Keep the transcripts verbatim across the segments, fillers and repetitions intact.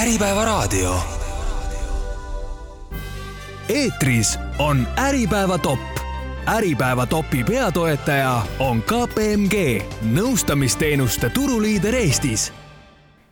Äripäevaraadio. Eetris on Äripäeva top. Äripäeva topi peatoetaja on K P M G, nõustamisteenuste turuliider Eestis.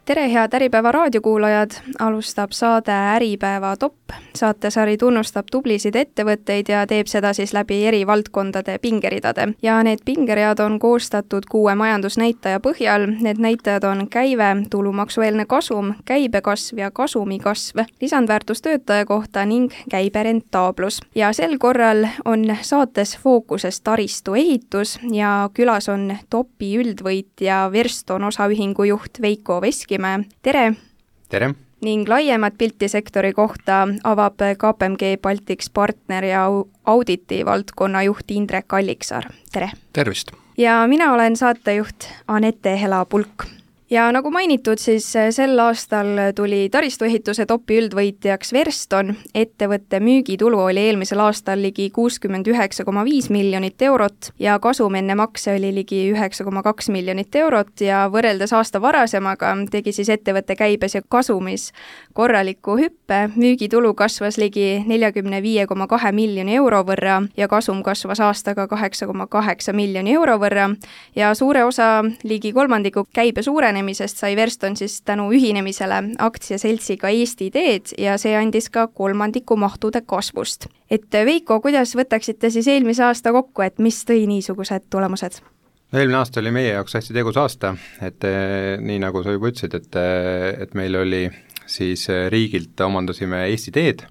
Tere, head Äripäeva raadiokuulajad! Alustab saade Äripäeva top. Saatesari tunnustab tublisid ettevõtteid ja teeb seda siis läbi eri valdkondade pingeridade. Ja need pingeread on koostatud kuue majandusnäitaja põhjal. Need näitajad on käive, tulumaksueelne kasum, käibekasv ja kasumikasv, lisandväärtus töötaja kohta ning käiberentaablus. Ja sel korral on saates fookuses taristu ehitus ja külas on topi üldvõitja Verston osaühingu juht Veiko Veski. Tere! Tere! Ning laiemat pilti sektori kohta avab K P M G Baltics partner ja auditi valdkonna juht Indrek Alliksaar. Tere! Tervist! Ja mina olen saatejuht Anette Hela-Pulk. Ja nagu mainitud, siis sel aastal tuli taristuehituse topi üldvõitjaks Verston. Ettevõtte müügitulu oli eelmisel aastal ligi kuuskümmend üheksa koma viis miljonit eurot ja kasum enne makse oli ligi üheksa koma kaks miljonit eurot ja võrreldes aasta varasemaga tegi siis ettevõtte käibes ja kasumis korraliku hüppe. Müügitulu kasvas ligi nelikümmend viis koma kaks miljoni euro võrra ja kasum kasvas aastaga kaheksa koma kaheksa miljoni euro võrra ja suure osa ligi kolmandiku käibe suurenemisest sai Verston siis tänu ühinemisele aktsiaseltsiga Eesti Teed ja see andis ka kolmandiku mahtude kasvust. Et Veiko, kuidas võtaksite siis eelmise aasta kokku, et mis tõi niisugused tulemused? Eelmine aasta oli meie jaoks hästi tegus aasta, et nii nagu sa juba ütlesid, et, et meil oli siis riigilt omandasime Eesti Teed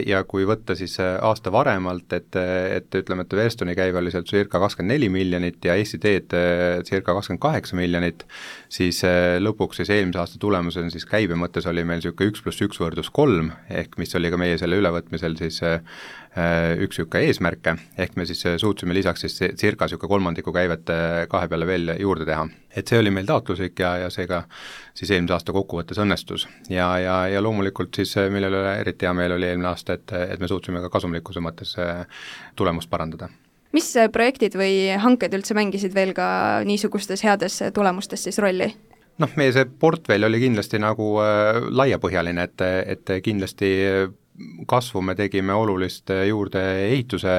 ja kui võtta siis aasta varemalt, et, et ütleme, et Verstoni käive oli seal circa kakskümmend neli miljonit ja Eesti Teed circa kakskümmend kaheksa miljonit, siis lõpuks siis eelmise aasta tulemusel siis käibe mõttes oli meil siuke üks pluss üks võrdus kolm, ehk mis oli ka meie selle ülevõtmisel siis üks siuke eesmärke, ehk me siis suutsime lisaks siis circa siuke kolmandiku käivet kahe peale veel juurde teha. Et see oli meil taotluslik ja, ja seega siis eelmise aasta kokkuvõttes õnnestus. Ja, ja, ja loomulikult siis millele eriti hea meil oli eelmine aasta, et, et me suutsime ka kasumlikkuse mõttes tulemust parandada. Mis projektid või hanked üldse mängisid veel ka niisugustes heades tulemustes siis rolli? Noh, meie see portfell oli kindlasti nagu äh, laiapõhjaline, et, et kindlasti kasvu me tegime olulist juurde ehituse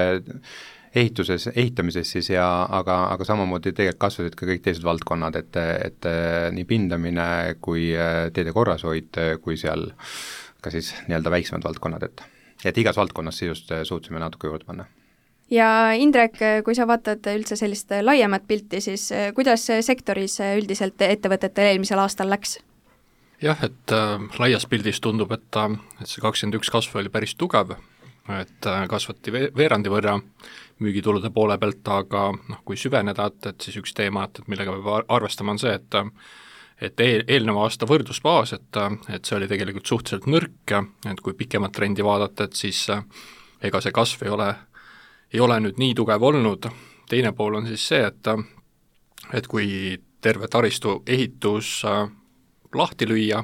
ehituses, ehitamises siis ja aga, aga samamoodi tegelikult kasvasid ka kõik teised valdkonnad, et, et nii pindamine kui teede korrashoid, kui seal ka siis nii-öelda väiksemad valdkonnad, et, et igas valdkonnas sisust suutsime natuke juurde panna. Ja Indrek, kui sa vaatad üldse sellist laiemat pilti, siis kuidas sektoris üldiselt ettevõtetel eelmisel aastal läks? Jah, et äh, laias pildis tundub, et, et see kakskümmend üks kasv oli päris tugev, et äh, kasvati veerandi võrra müügitulude poole pealt, aga noh, kui süveneda, et, et siis üks teema, et, et millega peab arvestama on see, et et eel, eelneva aasta võrdlusbaas, et, et see oli tegelikult suhteliselt nõrk, et kui pikemat trendi vaadata, et siis äh, ega see kasv ei ole, ei ole nüüd nii tugev olnud. Teine pool on siis see, et, et kui terve taristu ehitus äh, lahti lüüa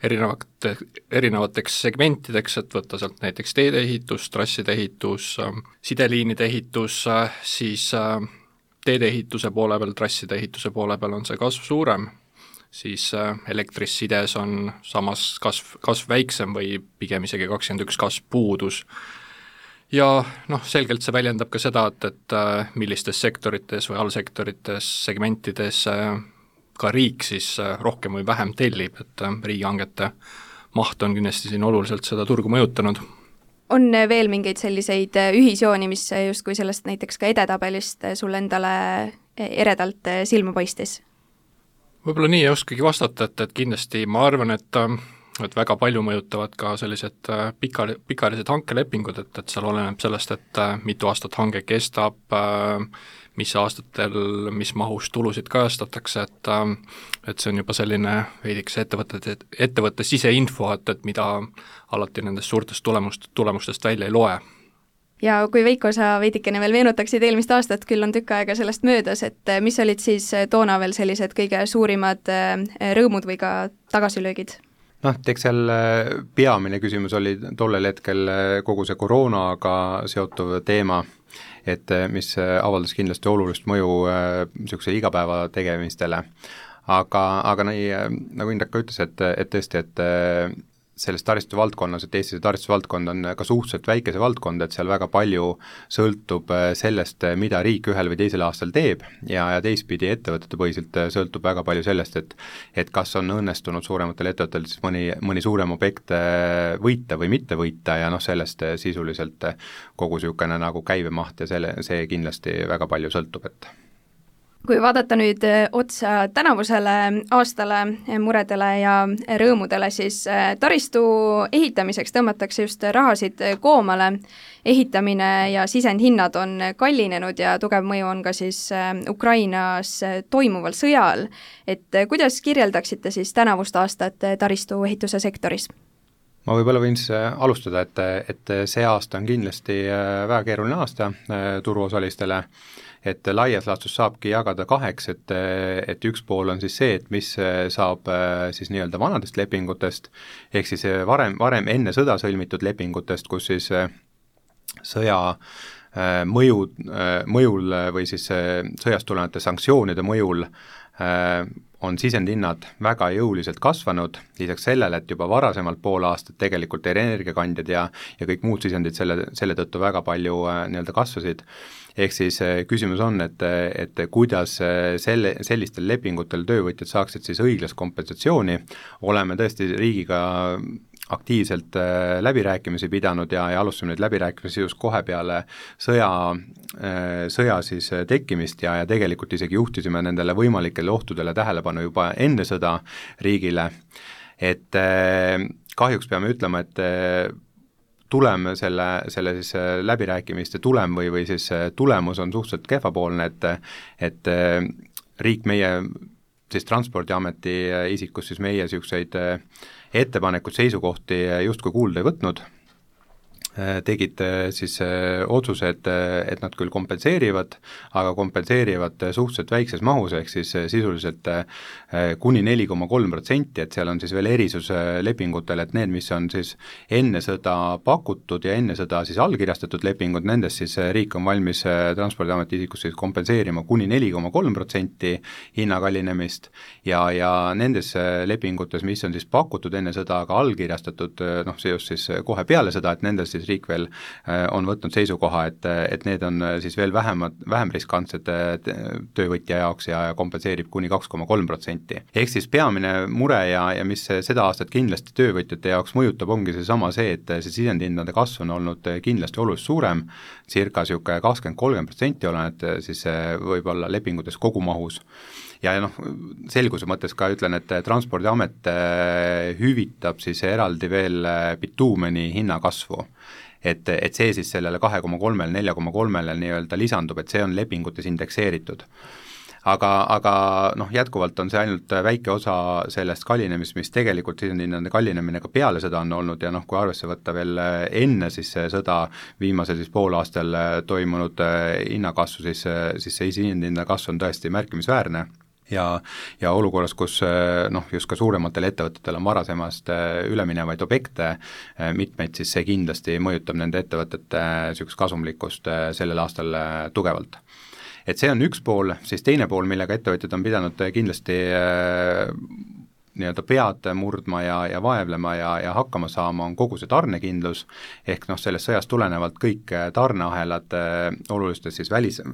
erinevate, erinevateks segmentideks, et võtta sealt näiteks teede ehitus, trasside ehitus, sideliinide ehitus, siis teede ehituse poole peal, trasside ehituse poole peal on see kasv suurem, siis elektris sides on samas kasv, kasv väiksem või pigem isegi kakskümmend üks kasv puudus. Ja noh, selgelt see väljendab ka seda, et, et millistes sektorites või allsektorites, segmentides ka riik siis rohkem või vähem tellib, et riigihangete maht on kindlasti siin oluliselt seda turgu mõjutanud. On veel mingeid selliseid ühisjooni, mis justkui sellest näiteks ka edetabelist sul endale eredalt silma paistis? Võib-olla nii ei oskagi vastata, et, et kindlasti ma arvan, et, et väga palju mõjutavad ka sellised pika, pikaajalised hankelepingud, et, et seal oleneb sellest, et mitu aastat hange kestab, mis aastatel, mis mahus tulusid kajastatakse, et, et see on juba selline veidikese ettevõtte, ettevõtte siseinfo, et, et mida alati nendest suurtest tulemust, tulemustest välja ei loe. Ja kui Veiko, sa veidikene veel meenutaksid eelmist aastat, küll on tükk aega sellest möödas, et mis olid siis toona veel sellised kõige suurimad rõõmud või ka tagasilöögid? Noh, eks seal peamine küsimus oli tollel hetkel kogu see koroonaga seotuv teema, et mis avaldas kindlasti olulist mõju niisuguse igapäeva tegemistele. aga, aga nii, nagu Indrek ka ütles, et, et tõesti, et selles taristu valdkonnas, et Eesti taristu valdkond on ka suhteliselt väikese valdkond, et seal väga palju sõltub sellest, mida riik ühel või teisel aastal teeb ja, ja teistpidi ettevõtete põhiselt sõltub väga palju sellest, et et kas on õnnestunud suurematel ettevõtetel siis mõni, mõni suurem objekt võita või mitte võita ja noh, sellest sisuliselt kogu niisugune nagu käibemaht ja selle, see kindlasti väga palju sõltub, et kui vaadata nüüd otsa tänavusele aastale muredele ja rõõmudele, siis taristu ehitamiseks tõmmatakse just rahasid koomale. Ehitamine ja sisendhinnad on kallinenud ja tugev mõju on ka siis Ukrainas toimuval sõjal. Et kuidas kirjeldaksite siis tänavust aastat taristu ehituse sektoris? Ma võib-olla võin siis alustada, et, et see aasta on kindlasti väga keeruline aasta turuosalistele, et laias laastus saabki jagada kaheks, et, et üks pool on siis see, et mis saab siis nii-öelda vanadest lepingutest, ehk siis varem, varem enne sõda sõlmitud lepingutest, kus siis sõja mõju, mõjul või siis sõjast tulenevate sanktsioonide mõjul on sisendhinnad väga jõuliselt kasvanud, lisaks sellele, et juba varasemalt pool aastat tegelikult energiakandjad ja, ja kõik muud sisendid selle, selle tõttu väga palju nii-öelda kasvasid. Ehk siis küsimus on, et, et kuidas selle, sellistel lepingutel töövõtjad saaksid siis õiglast kompensatsiooni, oleme tõesti riigiga aktiivselt läbirääkimisi pidanud ja, ja alustasime neid läbirääkimisi just kohe peale sõja, sõja siis tekkimist ja, ja tegelikult isegi juhtisime nendele võimalikele ohtudele tähelepanu juba enne sõda riigile, et kahjuks peame ütlema, et tulem selle, selle siis läbirääkimiste tulem või, või siis tulemus on suhteliselt kehvapoolne, et, et riik meie siis Transpordiameti isikus siis meie niisuguseid ettepanekud, seisukohti justkui kuulda ei võtnud, tegid siis otsuse, et, et nad küll kompenseerivad, aga kompenseerivad suhteliselt väikses mahus, ehk siis sisuliselt kuni neli koma kolm protsenti, et seal on siis veel erisus lepingutel, et need, mis on siis enne sõda pakutud ja enne sõda siis allkirjastatud lepingud, nendest siis riik on valmis Transpordiameti isikus siis kompenseerima kuni neli koma kolm protsenti hinnakallinemist ja, ja nendes lepingutes, mis on siis pakutud enne sõda, aga allkirjastatud, noh, see just siis kohe peale sõda, et nendes siis riik veel on võtnud seisukoha, et, et need on siis veel vähemad, vähem riskantsed töövõtja jaoks ja kompenseerib kuni kaks koma kolm protsenti. Ehk siis peamine mure ja, ja mis seda aastat kindlasti töövõtjate jaoks mõjutab, ongi seesama see, et see sisendhindade kasv on olnud kindlasti oluliselt suurem, circa sihuke kakskümmend kolm protsenti oleneb siis võib-olla lepingutes kogumahus. Ja noh, selguse mõttes ka ütlen, et Transpordiamet hüvitab siis eraldi veel bituumeni hinnakasvu. Et, et see siis sellele kahe koma kolmele, nelja koma kolmele nii-öelda lisandub, et see on lepingutes indekseeritud. Aga, aga noh, jätkuvalt on see ainult väike osa sellest kallinemist, mis tegelikult sisendhinnade kallinemine ka peale sõda on olnud ja noh, kui arvesse võtta veel enne siis sõda viimasel siis poolaastal toimunud hinnakasvu, siis, siis see sisendhinnade kasv on tõesti märkimisväärne. Ja, ja olukorras, kus noh, just ka suurematel ettevõtetel on varasemast üleminevaid objekte mitmeid, siis see kindlasti mõjutab nende ettevõtete niisugust kasumlikkust sellel aastal tugevalt. Et see on üks pool, siis teine pool, millega ettevõtjad on pidanud kindlasti nii-öelda pead murdma ja, ja vaevlema ja, ja hakkama saama, on kogu see tarnekindlus, ehk noh, sellest sõjast tulenevalt kõik tarneahelad olulistes siis välis,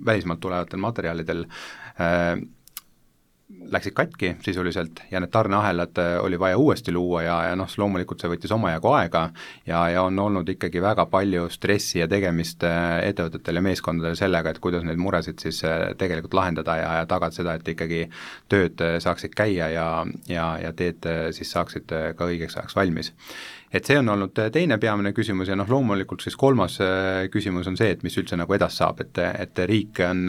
välismaalt tulevatel materjalidel äh, läksid katki sisuliselt ja need tarneahelad oli vaja uuesti luua ja, ja noh, loomulikult see võttis omajagu aega ja, ja on olnud ikkagi väga palju stressi ja tegemist ettevõtetel ja meeskondadel sellega, et kuidas neid muresid siis tegelikult lahendada ja, ja tagada seda, et ikkagi tööd saaksid käia ja, ja, ja teed siis saaksid ka õigeks ajaks valmis. Et see on olnud teine peamine küsimus ja noh, loomulikult siis kolmas küsimus on see, et mis üldse nagu edas saab, et, et riik on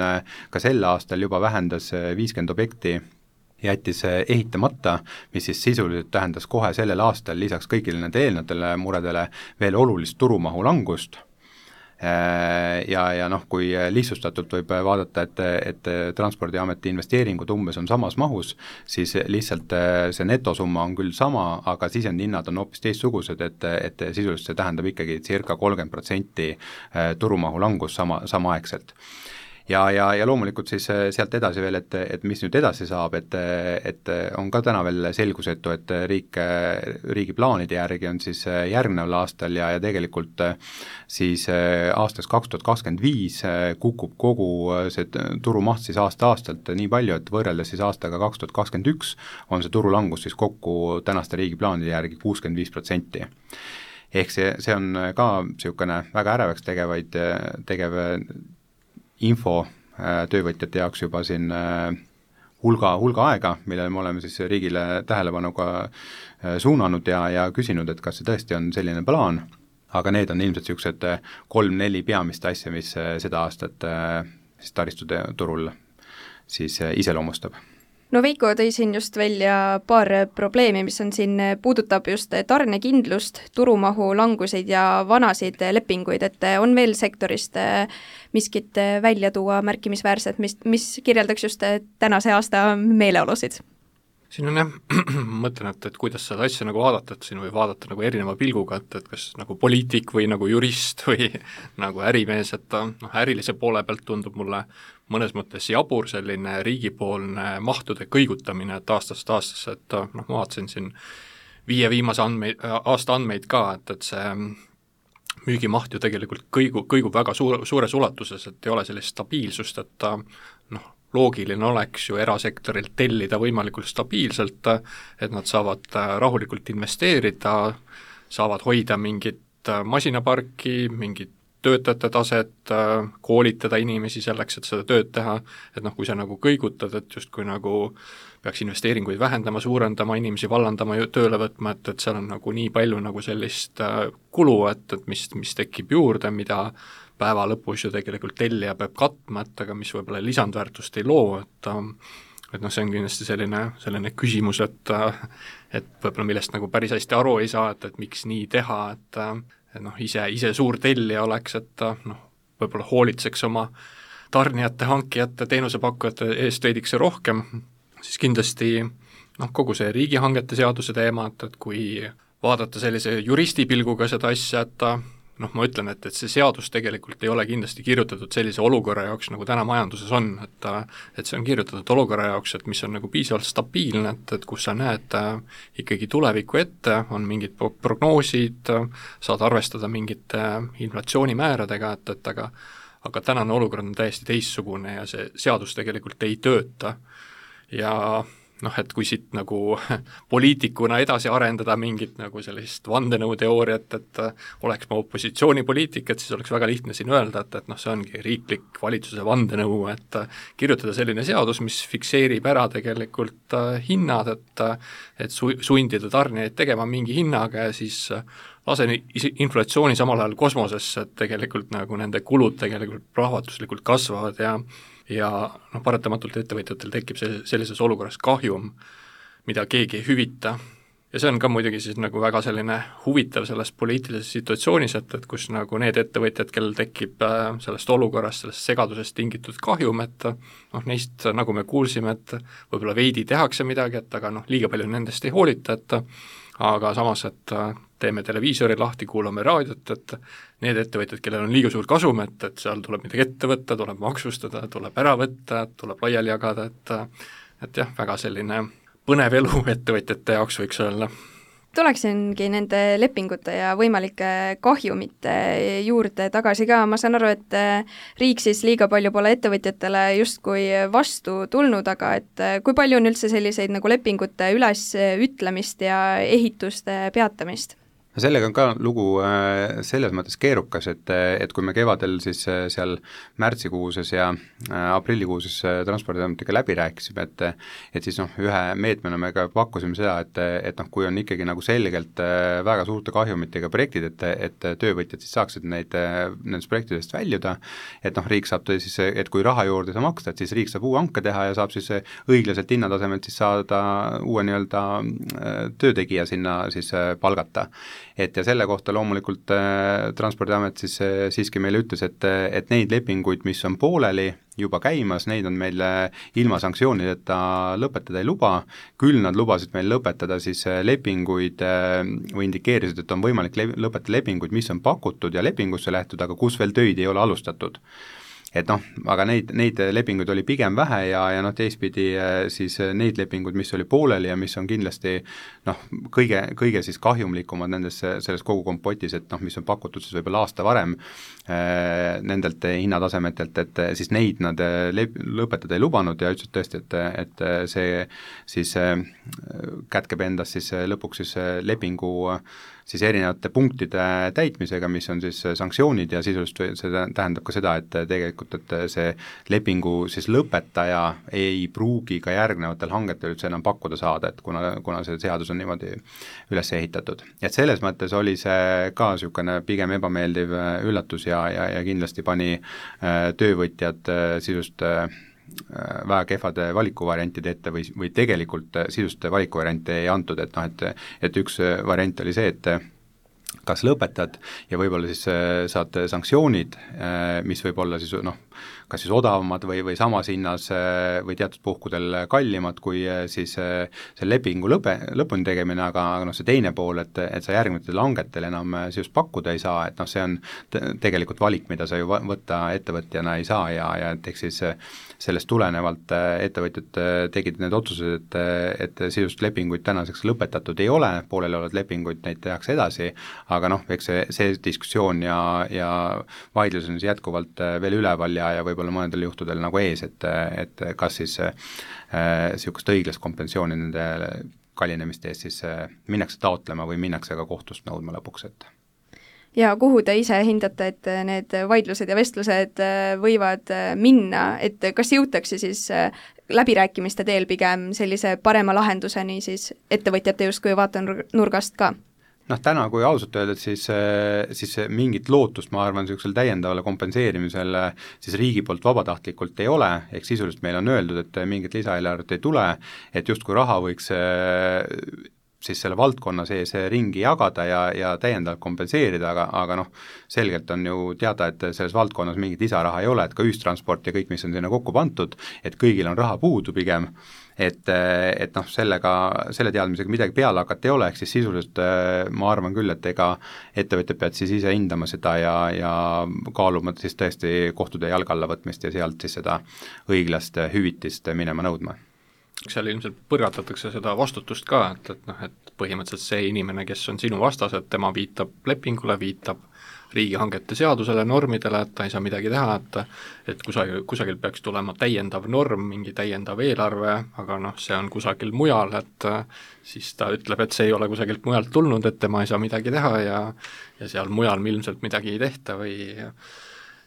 ka sel aastal juba vähendas viiskümmend objekti, jättis ehitamata, mis siis sisuliselt tähendas kohe sellel aastal lisaks kõigile nende eelnatele muredele veel olulist turumahu langust. Ja, ja noh, kui lihtsustatult võib vaadata, et, et Transpordiameti investeeringud umbes on samas mahus, siis lihtsalt see netosumma on küll sama, aga sisendhinnad on hoopis teistsugused, et, et sisuliselt see tähendab ikkagi circa kolmkümmend protsenti turumahu langus sama, samaaegselt. ja, ja, ja loomulikult siis sealt edasi veel, et, et mis nüüd edasi saab, et, et on ka täna veel selgusetu, et riik, riigi plaanide järgi on siis järgneval aastal ja, ja tegelikult siis aastaks kaks tuhat kakskümmend viis kukub kogu see turumaht siis aasta-aastalt nii palju, et võrreldes siis aastaga kaks tuhat kakskümmend üks on see turulangus siis kokku tänaste riigi plaanide järgi kuuskümmend viis protsenti. Ehk see, see on ka niisugune väga ärevaks tegevaid, tegev info töövõtjate jaoks juba siin hulga, hulga aega, millele me oleme siis riigile tähelepanuga suunanud ja, ja küsinud, et kas see tõesti on selline plaan, aga need on ilmselt niisugused kolm-neli peamist asja, mis seda aastat siis taristuturul siis iseloomustab. No Veiko tõi siin just välja paar probleemi, mis on siin, puudutab just tarnekindlust, turumahu languseid ja vanasid lepinguid, et on veel sektorist miskit välja tuua märkimisväärset, mis, mis kirjeldaks just tänase aasta meeleolusid? Siin on jah, mõtlen, et, et kuidas seda asja nagu vaadata, et siin võib vaadata nagu erineva pilguga, et, et kas nagu poliitik või nagu jurist või nagu ärimees, et noh, ärilise poole pealt tundub mulle mõnes mõttes jabur selline riigipoolne mahtude kõigutamine, et aastast aastasse, et noh, ma vaatasin siin viie viimase andmeid, aasta andmeid ka, et, et see müügimaht ju tegelikult kõigu, kõigub väga suur, suures ulatuses, et ei ole sellist stabiilsust, et noh, loogiline oleks ju erasektorilt tellida võimalikult stabiilselt, et nad saavad rahulikult investeerida, saavad hoida mingit masinaparki, mingit töötajate taset, koolitada inimesi selleks, et seda tööd teha, et noh, kui sa nagu kõigutad, et justkui nagu peaks investeeringuid vähendama, suurendama, inimesi vallandama, tööle võtma, et, et seal on nagu nii palju nagu sellist kulu, et, et mis, mis tekib juurde, mida päeva lõpus ju tegelikult tellija peab katma, et aga mis võib-olla lisandväärtust ei loo, et et noh, see on kindlasti selline, selline küsimus, et et võib-olla millest nagu päris hästi aru ei saa, et, et miks nii teha, et et noh, ise, ise suur tellija oleks, et noh, võib-olla hoolitseks oma tarnijate, hankijate, teenusepakkujate eest veidikse rohkem, siis kindlasti noh, kogu see riigihangete seaduse teema, et, et kui vaadata sellise juristi pilguga seda asja, et noh, ma ütlen, et, et see seadus tegelikult ei ole kindlasti kirjutatud sellise olukorra jaoks, nagu täna majanduses on, et et see on kirjutatud olukorra jaoks, et mis on nagu piisavalt stabiilne, et, et kus sa näed äh, ikkagi tuleviku ette, on mingid prognoosid, saad arvestada mingite inflatsioonimääradega, et, et aga aga tänane olukord on täiesti teistsugune ja see seadus tegelikult ei tööta. Ja noh, et kui siit nagu poliitikuna edasi arendada mingit nagu sellist vandenõuteooriat, et oleks ma opositsioonipoliitik, et siis oleks väga lihtne siin öelda, et, et noh, see ongi riiklik valitsuse vandenõu, et kirjutada selline seadus, mis fikseerib ära tegelikult hinnad, et et su-, sundida tarnijaid tegema mingi hinnaga ja siis lasen inflatsiooni samal ajal kosmosesse, et tegelikult nagu nende kulud tegelikult plahvatuslikult kasvavad ja ja noh, paratamatult ettevõtjatel tekib see, sellises olukorras kahjum, mida keegi ei hüvita. Ja see on ka muidugi siis nagu väga selline huvitav selles poliitilises situatsioonis, et, et kus nagu need ettevõtjad, kellel tekib sellest olukorrast, sellest segadusest tingitud kahjum, et noh, neist nagu me kuulsime, et võib-olla veidi tehakse midagi, et aga noh, liiga palju nendest ei hoolita, et aga samas, et teeme televiisori lahti, kuulame raadiot, et need ettevõtjad, kellel on liiga suur kasum, et, et seal tuleb midagi ette võtta, tuleb maksustada, tuleb ära võtta, tuleb laiali jagada, et et jah, väga selline põnev elu ettevõtjate jaoks võiks olla. Tuleksingi nende lepingute ja võimalike kahjumite juurde tagasi ka, ma saan aru, et riik siis liiga palju pole ettevõtjatele justkui vastu tulnud, aga et kui palju on üldse selliseid nagu lepingute ülesütlemist ja ehituste peatamist? Sellega on ka lugu selles mõttes keerukas, et, et kui me kevadel siis seal märtsikuuses ja aprillikuuses Transpordiametiga läbi rääkisime, et et siis noh, ühe meetmena me ka pakkusime seda, et, et noh, kui on ikkagi nagu selgelt väga suurte kahjumitega projektid, et, et töövõtjad siis saaksid neid, nendest projektidest väljuda, et noh, riik saab siis, et kui raha juurde ei saa maksta, et siis riik saab uue hanke teha ja saab siis õiglaselt hinnatasemelt siis saada uue nii-öelda töötegija sinna siis palgata. Et ja selle kohta loomulikult äh, Transpordiamet siis äh, siiski meile ütles, et, et neid lepinguid, mis on pooleli juba käimas, neid on meil ilma sanktsioonideta lõpetada ei luba, küll nad lubasid meil lõpetada siis lepinguid äh, või indikeerisid, et on võimalik le- lõpetada lepinguid, mis on pakutud ja lepingusse lähtud, aga kus veel töid ei ole alustatud. et noh, aga neid, neid lepinguid oli pigem vähe ja, ja noh, teistpidi siis neid lepinguid, mis oli pooleli ja mis on kindlasti noh, kõige, kõige siis kahjumlikumad nendes, selles kogu kompotis, et noh, mis on pakutud siis võib-olla aasta varem äh, nendelt hinnatasemetelt, et siis neid nad lep-, lõpetada ei lubanud ja ütlesid tõesti, et, et see siis äh, kätkeb endas siis lõpuks siis lepingu siis erinevate punktide täitmisega, mis on siis sanktsioonid ja sisuliselt see tähendab ka seda, et tegelikult, et see lepingu siis lõpetaja ei pruugi ka järgnevatel hangetel üldse enam pakkuda saada, et kuna, kuna see seadus on niimoodi üles ehitatud. Et selles mõttes oli see ka niisugune pigem ebameeldiv üllatus ja, ja, ja kindlasti pani töövõtjad sisust väga kehvade valikuvariantide ette või, või tegelikult sisuste valikuvariante ei antud, et noh, et, et üks variant oli see, et kas lõpetad ja võib-olla siis saad sanktsioonid, mis võib olla siis noh, kas siis odavamad või, või samas hinnas või teatud puhkudel kallimad kui siis see lepingu lõpe, lõpuni tegemine, aga, aga noh, see teine pool, et, et sa järgnevatel hangetel enam siis pakkuda ei saa, et noh, see on tegelikult valik, mida sa ju võtta ettevõtjana ei saa ja, ja et eks siis sellest tulenevalt ettevõtjad tegid need otsused, et, et sisust lepinguid tänaseks lõpetatud ei ole, pooleli olevad lepinguid, neid tehakse edasi, aga noh, eks see, see diskussioon ja, ja vaidlus on jätkuvalt veel üleval ja, ja võib-olla mõnedel juhtudel nagu ees, et, et kas siis niisugust äh, õiglast kompensatsiooni nende kallinemiste eest siis äh, minnakse taotlema või minnakse ka kohtust nõudma lõpuks, et ja kuhu te ise hindate, et need vaidlused ja vestlused võivad minna, et kas jõutakse siis läbirääkimiste teel pigem sellise parema lahenduseni siis ettevõtjate justkui vaatenurgast ka? noh, täna, kui ausalt öelda, siis, siis mingit lootust, ma arvan, niisugusel täiendavale kompenseerimisele siis riigi poolt vabatahtlikult ei ole, ehk sisuliselt meil on öeldud, et mingit lisaeelarvet ei tule, et justkui raha võiks siis selle valdkonna sees ringi jagada ja, ja täiendavalt kompenseerida, aga, aga noh, selgelt on ju teada, et selles valdkonnas mingit lisaraha ei ole, et ka ühistransport ja kõik, mis on sinna kokku pandud, et kõigil on raha puudu pigem, et, et noh, sellega, selle teadmisega midagi peale hakata ei ole, ehk siis sisuliselt ma arvan küll, et ega ettevõtjad peavad siis ise hindama seda ja, ja kaaluma siis tõesti kohtude jalge alla võtmist ja sealt siis seda õiglast hüvitist minema nõudma. Seal ilmselt põrgatatakse seda vastutust ka, et, et noh, et põhimõtteliselt see inimene, kes on sinu vastas, et tema viitab lepingule, viitab riigihangete seadusele, normidele, et ta ei saa midagi teha, et et kusagil, kusagil peaks tulema täiendav norm, mingi täiendav eelarve, aga noh, see on kusagil mujal, et siis ta ütleb, et see ei ole kusagilt mujalt tulnud, et tema ei saa midagi teha ja ja seal mujal ilmselt midagi ei tehta või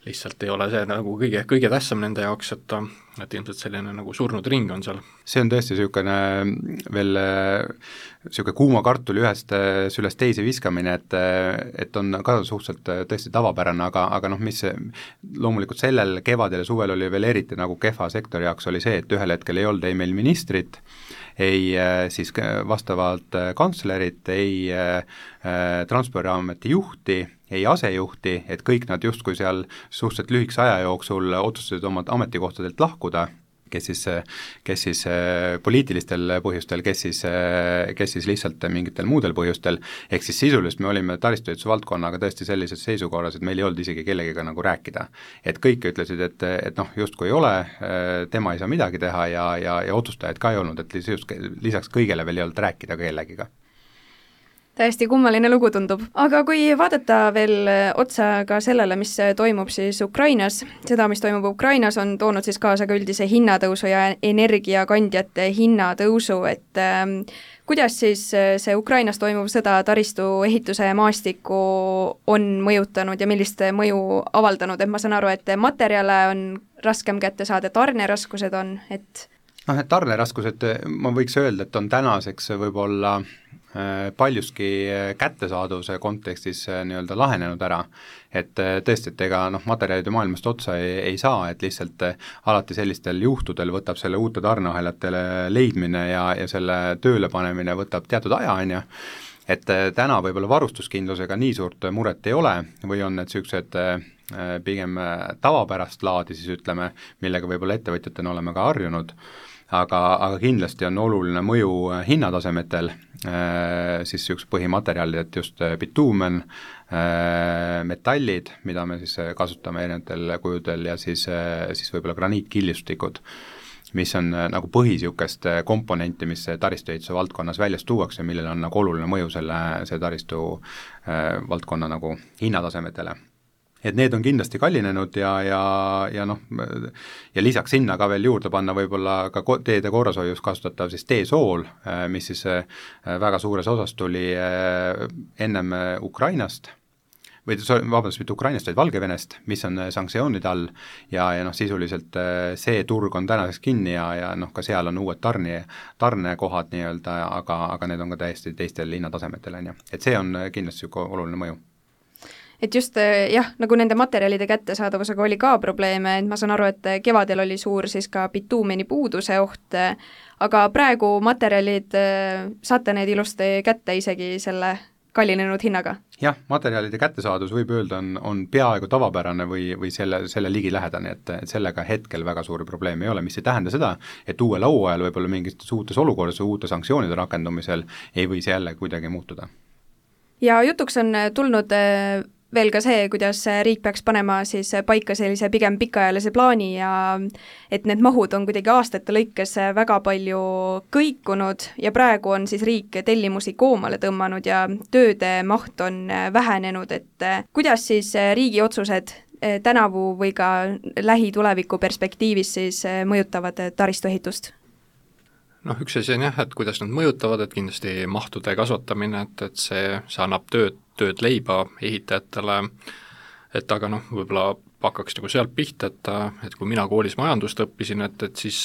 lihtsalt ei ole see nagu kõige, kõige tähtsam nende jaoks, et, et ilmselt selline nagu surnud ring on seal. See on tõesti niisugune veel niisugune kuuma kartuli ühest sülest teise viskamine, et, et on ka suhteliselt tõesti tavapärane, aga, aga noh, mis loomulikult sellel kevadel ja suvel oli veel eriti nagu kehva sektori jaoks oli see, et ühel hetkel ei olnud ei meil ministrit, ei siis vastavalt kantslerit, ei äh, Transpordiameti juhti, ei asejuhti, et kõik nad justkui seal suhteliselt lühikese aja jooksul otsustasid oma ametikohtadelt lahkuda, kes siis, kes siis poliitilistel põhjustel, kes siis, kes siis lihtsalt mingitel muudel põhjustel, ehk siis sisuliselt me olime taristuehituse valdkonnaga tõesti sellises seisukorras, et meil ei olnud isegi kellegiga nagu rääkida. Et kõik ütlesid, et, et noh, justkui ei ole, tema ei saa midagi teha ja, ja, ja otsustajaid ka ei olnud, et lisaks kõigele veel ei olnud rääkida kellegiga. Täiesti kummaline lugu tundub. Aga kui vaadata veel otsa ka sellele, mis toimub siis Ukrainas, seda, mis toimub Ukrainas, on toonud siis kaasa ka üldise hinnatõusu ja energiakandjate hinnatõusu, et äh, kuidas siis see Ukrainas toimuv sõda taristu ehituse maastiku on mõjutanud ja millist mõju avaldanud, et ma saan aru, et materjale on raskem kätte saada, tarneraskused on, et noh, et tarneraskused, ma võiks öelda, et on tänaseks võib-olla paljuski kättesaaduvuse kontekstis nii-öelda lahenenud ära, et tõesti, et ega noh, materjalide maailmast otsa ei, ei saa, et lihtsalt alati sellistel juhtudel võtab selle uute tarneahelatele leidmine ja, ja selle tööle panemine võtab teatud aja, on ju, et täna võib-olla varustuskindlusega nii suurt muret ei ole või on need niisugused pigem tavapärast laadi, siis ütleme, millega võib-olla ettevõtjatena oleme ka harjunud, aga, aga kindlasti on oluline mõju hinnatasemetel, siis üks põhimaterjalid, et just bituumen, metallid, mida me siis kasutame erinevatel kujudel ja siis, siis võib-olla graniitkillustikud, mis on nagu põhisiukest komponenti, mis taristuehituse valdkonnas väljas tuuakse, millel on nagu oluline mõju selle, see taristu valdkonna nagu hinnatasemetele. Et need on kindlasti kallinenud ja, ja, ja noh, ja lisaks sinna ka veel juurde panna võib-olla ka teede korrashoius kasutatav siis teesool, mis siis väga suures osas tuli ennem Ukrainast, või vabandust, mitte Ukrainast, vaid Valgevenest, mis on sanktsioonide all ja, ja noh, sisuliselt see turg on tänaseks kinni ja, ja noh, ka seal on uued tarni, tarnekohad nii-öelda, aga, aga need on ka täiesti teistel hinnatasemetel, on ju. Et see on kindlasti oluline mõju. Et just jah, nagu nende materjalide kättesaadavusega oli ka probleeme, et ma saan aru, et kevadel oli suur siis ka bituumeni puuduse oht, aga praegu materjalid saate need ilusti kätte isegi selle kallinenud hinnaga? Jah, materjalide kättesaadus võib öelda on, on peaaegu tavapärane või, või selle, selle ligilähedane, et, et sellega hetkel väga suuri probleeme ei ole, mis ei tähenda seda, et uuel auajal võib-olla mingites uutes olukordades või uute sanktsioonide rakendumisel ei või see jälle kuidagi muutuda. Ja jutuks on tulnud veel ka see, kuidas riik peaks panema siis paika sellise pigem pikaajalise plaani ja et need mahud on kuidagi aastate lõikes väga palju kõikunud ja praegu on siis riik tellimusi koomale tõmmanud ja tööde maht on vähenenud, et kuidas siis riigi otsused tänavu või ka lähituleviku perspektiivis siis mõjutavad taristuehitust? Noh, üks asi on jah, et kuidas nad mõjutavad, et kindlasti mahtude kasvatamine, et, et see, see annab tööd, tööd leiba ehitajatele, et aga noh, võib-olla hakkaks nagu sealt pihta, et, et kui mina koolis majandust õppisin, et, et siis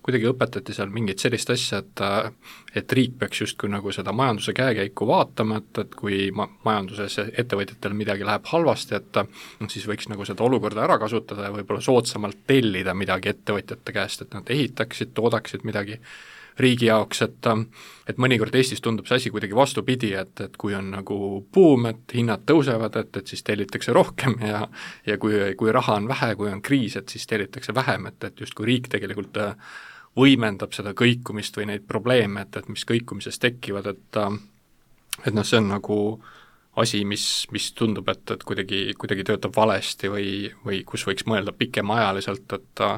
kuidagi õpetati seal mingit sellist asja, et et riik peaks justkui nagu seda majanduse käekäiku vaatama, et, et kui ma, majanduses ettevõtjatel midagi läheb halvasti, et noh, siis võiks nagu seda olukorda ära kasutada ja võib-olla soodsamalt tellida midagi ettevõtjate käest, et nad ehitaksid, toodaksid midagi riigi jaoks, et, et mõnikord Eestis tundub see asi kuidagi vastupidi, et, et kui on nagu buum, et hinnad tõusevad, et, et siis tellitakse rohkem ja ja kui, kui raha on vähe, kui on kriis, et siis tellitakse vähem, et, et justkui riik tegelikult võimendab seda kõikumist või neid probleeme, et, et mis kõikumises tekivad, et et noh, see on nagu asi, mis, mis tundub, et, et kuidagi, kuidagi töötab valesti või, või kus võiks mõelda pikemaajaliselt, et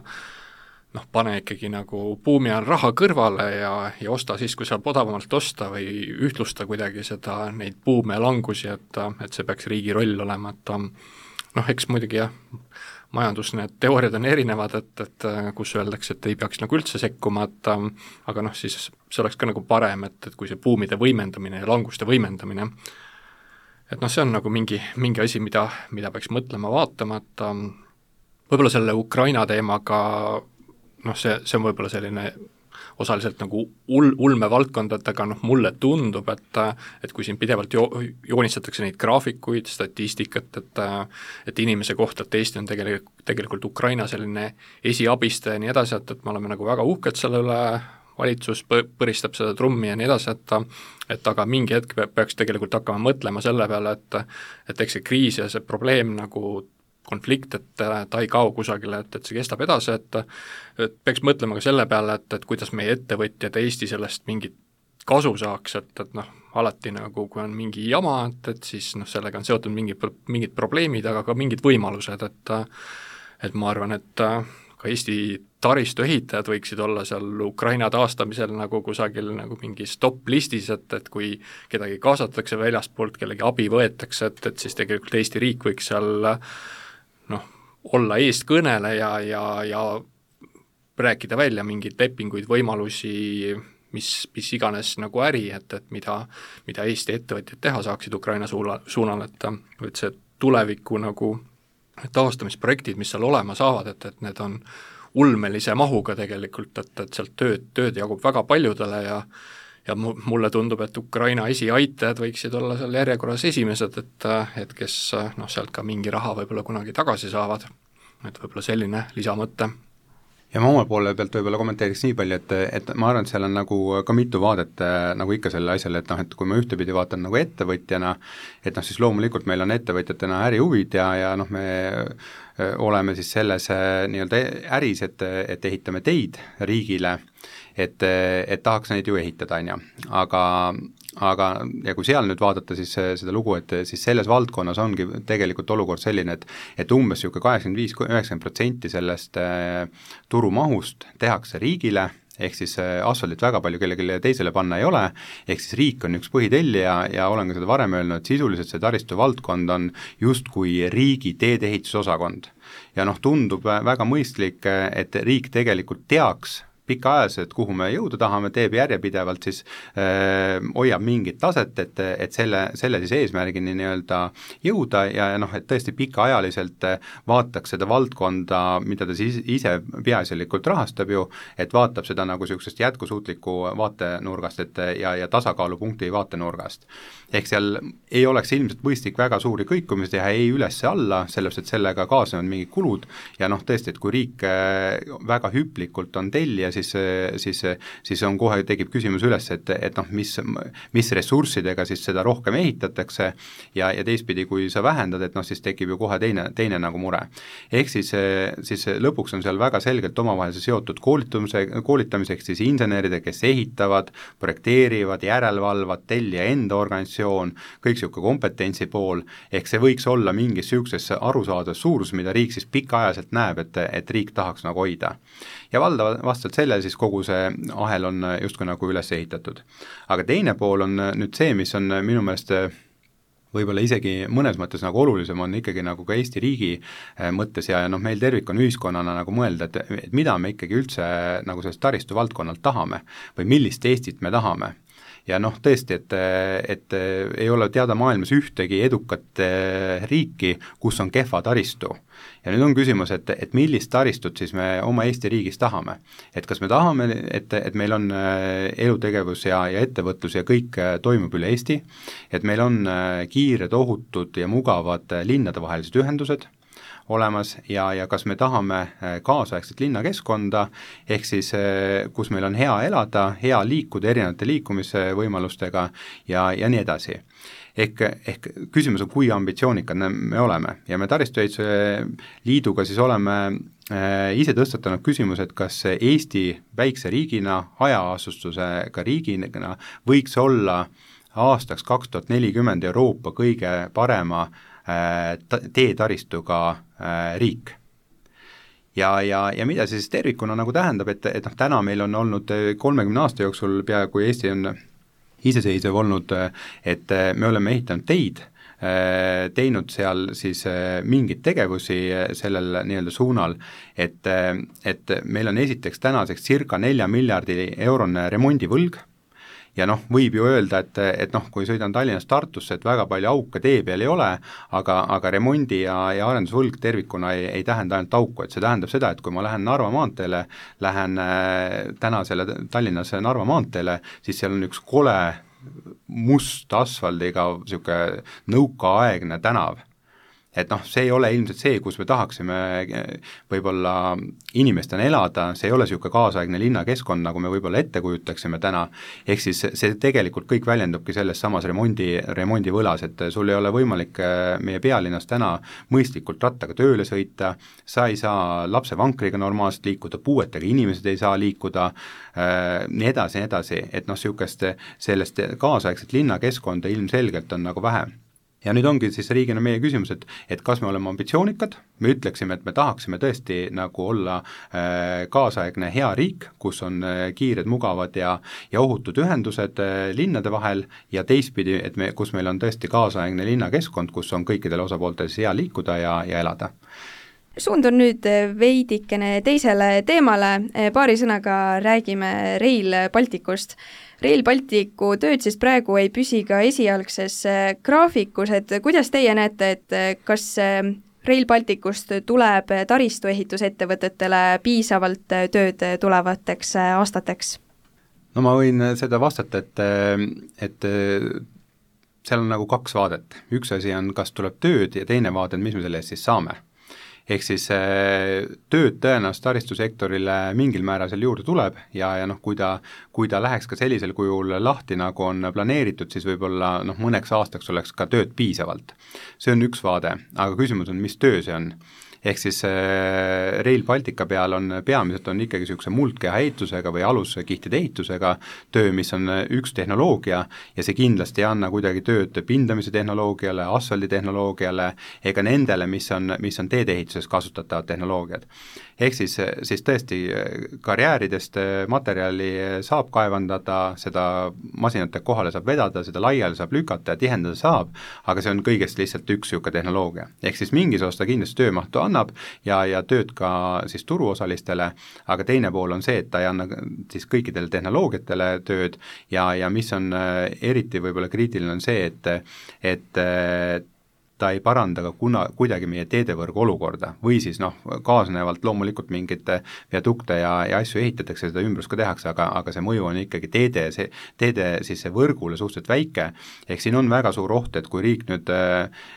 noh, pane ikkagi nagu buumi on raha kõrvale ja, ja osta siis, kui saab odavamalt osta või ühtlusta kuidagi seda, neid buume ja langusi, et, et see peaks riigi roll olema, et noh, eks muidugi jah, majandus, need teooriad on erinevad, et, et kus öeldakse, et ei peaks nagu üldse sekkuma, et aga noh, siis see oleks ka nagu parem, et, et kui see buumide võimendamine ja languste võimendamine, et noh, see on nagu mingi, mingi asi, mida, mida peaks mõtlema, vaatama, et võib-olla selle Ukraina teemaga noh, see, see on võib-olla selline osaliselt nagu ul-, ulmevaldkond, et aga noh, mulle tundub, et et kui siin pidevalt jo-, joonistatakse neid graafikuid, statistikat, et et inimese kohta, et Eesti on tegelikult, tegelikult Ukraina selline esiabistaja ja nii edasi, et, et me oleme nagu väga uhked selle üle, valitsus põristab seda trummi ja nii edasi, et et aga mingi hetk peaks tegelikult hakkama mõtlema selle peale, et et eks see kriis ja see probleem nagu konflikt, et ta ei kao kusagile, et, et see kestab edasi, et et peaks mõtlema ka selle peale, et, et kuidas meie ettevõtjad Eesti sellest mingit kasu saaks, et, et noh, alati nagu kui on mingi jama, et, et siis noh, sellega on seotud mingi, mingid probleemid, aga ka mingid võimalused, et et ma arvan, et ka Eesti taristuehitajad võiksid olla seal Ukraina taastamisel nagu kusagil nagu mingis top-listis, et, et kui kedagi kaasatakse väljaspoolt, kellegi abi võetakse, et, et siis tegelikult Eesti riik võiks seal noh, olla eestkõneleja ja, ja rääkida välja mingeid lepinguid, võimalusi, mis, mis iganes nagu äri, et, et mida, mida Eesti ettevõtjad teha saaksid Ukraina suula, suunal, et, et see tuleviku nagu taastamisprojektid, mis seal olema saavad, et, et need on ulmelise mahuga tegelikult, et, et sealt tööd, tööd jagub väga paljudele ja ja mulle tundub, et Ukraina esiaitajad võiksid olla seal järjekorras esimesed, et, et kes noh, sealt ka mingi raha võib-olla kunagi tagasi saavad, et võib-olla selline lisamõte. ja ma oma poole pealt võib-olla kommenteeriks nii palju, et, et ma arvan, et seal on nagu ka mitu vaadet nagu ikka selle asjale, et noh, et kui ma ühtepidi vaatan nagu ettevõtjana, et noh, siis loomulikult meil on ettevõtjatena ärihuvid ja, ja noh, me oleme siis selles nii-öelda äris, et, et ehitame teid riigile, et, et tahaks neid ju ehitada, on ju, aga aga ja kui seal nüüd vaadata siis seda lugu, et siis selles valdkonnas ongi tegelikult olukord selline, et et umbes niisugune kaheksakümmend viis kuni üheksakümmend protsenti sellest turumahust tehakse riigile, ehk siis asfaldit väga palju kellelegi teisele panna ei ole, ehk siis riik on üks põhitellija ja olen ka seda varem öelnud, et sisuliselt see taristu valdkond on justkui riigi teedeehitusosakond. Ja noh, tundub väga mõistlik, et riik tegelikult teaks pikaajaliselt, kuhu me jõuda tahame, teeb järjepidevalt, siis äh, hoiab mingit taset, et, et selle, selle siis eesmärgini nii-öelda jõuda ja, ja noh, et tõesti pikaajaliselt vaataks seda valdkonda, mida ta siis ise peaasjalikult rahastab ju, et vaatab seda nagu niisugusest jätkusuutliku vaatenurgast, et ja, ja tasakaalupunkti vaatenurgast. Ehk seal ei oleks ilmselt mõistlik väga suuri kõikumisi teha ei üles-alla, sellepärast et sellega kaasnevad mingid kulud ja noh, tõesti, et kui riik väga hüplikult on tellija, siis, siis, siis on kohe tekib küsimus üles, et, et noh, mis, mis ressurssidega siis seda rohkem ehitatakse ja, ja teistpidi, kui sa vähendad, et noh, siis tekib ju kohe teine, teine nagu mure. Ehk siis, siis lõpuks on seal väga selgelt omavahel seotud koolitamise, koolitamiseks siis inseneride, kes ehitavad, projekteerivad, järelevalvad, tellija enda organisatsioon, kõik niisugune kompetentsi pool, ehk see võiks olla mingis niisuguses arusaadavas suurus, mida riik siis pikaajaliselt näeb, et, et riik tahaks nagu hoida. Ja valdav vastavalt sellele siis kogu see ahel on justkui nagu üles ehitatud. Aga teine pool on nüüd see, mis on minu meelest võib-olla isegi mõnes mõttes nagu olulisem on ikkagi nagu ka Eesti riigi mõttes ja, ja noh, meil tervik on ühiskonnana nagu mõelda, et, et mida me ikkagi üldse nagu sellest taristu valdkonnalt tahame või millist Eestit me tahame. Ja noh, tõesti, et, et ei ole teada maailmas ühtegi edukat riiki, kus on kehva taristu. Ja nüüd on küsimus, et, et millist taristut siis me oma Eesti riigis tahame. Et kas me tahame, et, et meil on elutegevus ja, ja ettevõtlus ja kõik toimub üle Eesti, et meil on kiired, ohutud ja mugavad linnadevahelised ühendused olemas ja, ja kas me tahame kaasaegset linnakeskkonda, ehk siis kus meil on hea elada, hea liikuda erinevate liikumisvõimalustega ja, ja nii edasi. Ehk, ehk küsimus on, kui ambitsioonikad me oleme ja me Taristuehituse Liiduga siis oleme ise tõstatanud küsimus, et kas Eesti väikse riigina, hajaasustusega riigina võiks olla aastaks kaks tuhat nelikümmend Euroopa kõige parema teetaristuga riik. Ja, ja, ja mida see siis tervikuna nagu tähendab, et, et noh, täna meil on olnud kolmekümne aasta jooksul peaaegu Eesti on iseseisev olnud, et me oleme ehitanud teid, teinud seal siis mingeid tegevusi sellel nii-öelda suunal, et, et meil on esiteks tänaseks circa nelja miljardi eurone remondivõlg, ja noh, võib ju öelda, et, et noh, kui sõidan Tallinnast Tartusse, et väga palju auke tee peal ei ole, aga, aga remondi ja, ja arendusvõlg tervikuna ei, ei tähenda ainult auku, et see tähendab seda, et kui ma lähen Narva maanteele, lähen tänasele Tallinnas Narva maanteele, siis seal on üks kole must asfaldiga niisugune nõukaaegne tänav. Et noh, see ei ole ilmselt see, kus me tahaksime võib-olla inimestena elada, see ei ole niisugune kaasaegne linnakeskkond, nagu me võib-olla ette kujutaksime täna, ehk siis see tegelikult kõik väljendubki selles samas remondi, remondivõlas, et sul ei ole võimalik meie pealinnas täna mõistlikult rattaga tööle sõita, sa ei saa lapsevankriga normaalselt liikuda, puuetega inimesed ei saa liikuda, nii edasi, nii edasi, et noh, niisugust sellest kaasaegset linnakeskkonda ilmselgelt on nagu vähe. Ja nüüd ongi siis riigina meie küsimus, et, et kas me oleme ambitsioonikad, me ütleksime, et me tahaksime tõesti nagu olla äh, kaasaegne hea riik, kus on äh, kiired, mugavad ja, ja ohutud ühendused äh, linnade vahel ja teistpidi, et me, kus meil on tõesti kaasaegne linnakeskkond, kus on kõikidel osapooltel hea liikuda ja, ja elada. Suundun nüüd veidikene teisele teemale, paari sõnaga räägime Rail Balticust. Rail Balticu tööd siis praegu ei püsi ka esialgses graafikus, et kuidas teie näete, et kas Rail Balticust tuleb taristuehitusettevõtetele piisavalt tööd tulevateks aastateks? No ma võin seda vastata, et, et seal on nagu kaks vaadet. Üks asi on, kas tuleb tööd ja teine vaade, mis me selle eest siis saame. ehk siis tööd tõenäoliselt taristusektorile mingil määral seal juurde tuleb ja, ja noh, kui ta, kui ta läheks ka sellisel kujul lahti, nagu on planeeritud, siis võib-olla noh, mõneks aastaks oleks ka tööd piisavalt. See on üks vaade, aga küsimus on, mis töö see on. Ehk siis Rail Baltica peal on peamiselt on ikkagi niisuguse muldkeha ehitusega või aluskihtide ehitusega töö, mis on üks tehnoloogia ja see kindlasti ei anna kuidagi tööd pindamise tehnoloogiale, asfalditehnoloogiale ega nendele, mis on, mis on teedeehituses kasutatavad tehnoloogiad. Ehk siis, siis tõesti karjääridest materjali saab kaevandada, seda masinate kohale saab vedada, seda laiali saab lükata ja tihendada saab, aga see on kõigest lihtsalt üks niisugune tehnoloogia. Ehk siis mingis osas ta kindlasti töömahtu annab ja, ja tööd ka siis turuosalistele, aga teine pool on see, et ta ei anna siis kõikidele tehnoloogiatele tööd ja, ja mis on eriti võib-olla kriitiline on see, et, et ta ei paranda ka kuna, kuidagi meie teedevõrgu olukorda või siis noh, kaasnevalt loomulikult mingite viadukte ja, ja asju ehitatakse, seda ümbrus ka tehakse, aga, aga see mõju on ikkagi teede, see, teede siis see võrgule suhteliselt väike, ehk siin on väga suur oht, et kui riik nüüd äh,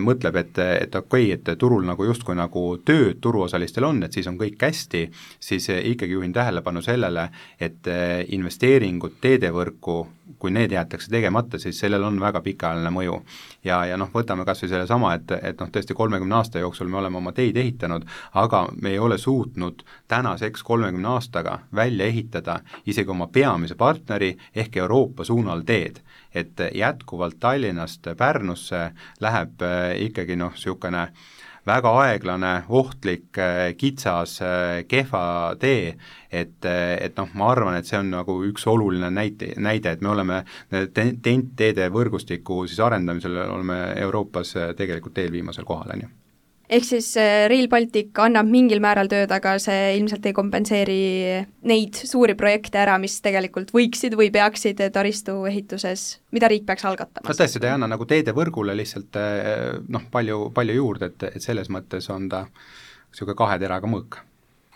mõtleb, et, et okei okay,, et turul nagu justkui nagu tööd turuosalistel on, et siis on kõik hästi, siis ikkagi juhin tähelepanu sellele, et investeeringud teedevõrku, kui need jäetakse tegemata, siis sellel on väga pikaajaline mõju. Ja, ja noh, võtame kas või selle sama, et, et noh, tõesti kolmekümne aasta jooksul me oleme oma teid ehitanud, aga me ei ole suutnud tänaseks kolmekümne aastaga välja ehitada isegi oma peamise partneri ehk Euroopa suunal teed. Et jätkuvalt Tallinnast Pärnusse läheb ikkagi noh, niisugune väga aeglane, ohtlik, kitsas, kehva tee, et, et noh, ma arvan, et see on nagu üks oluline näite, näide, et me oleme TEN-T-teede võrgustiku siis arendamisel oleme Euroopas tegelikult eelviimasel kohal, on ju. Ehk siis Rail Baltic annab mingil määral tööd, aga see ilmselt ei kompenseeri neid suuri projekte ära, mis tegelikult võiksid või peaksid taristu ehituses, mida riik peaks algatama. No tõesti, ta ei anna nagu teedevõrgule lihtsalt noh, palju, palju juurde, et, et selles mõttes on ta niisugune kahe teraga mõõk.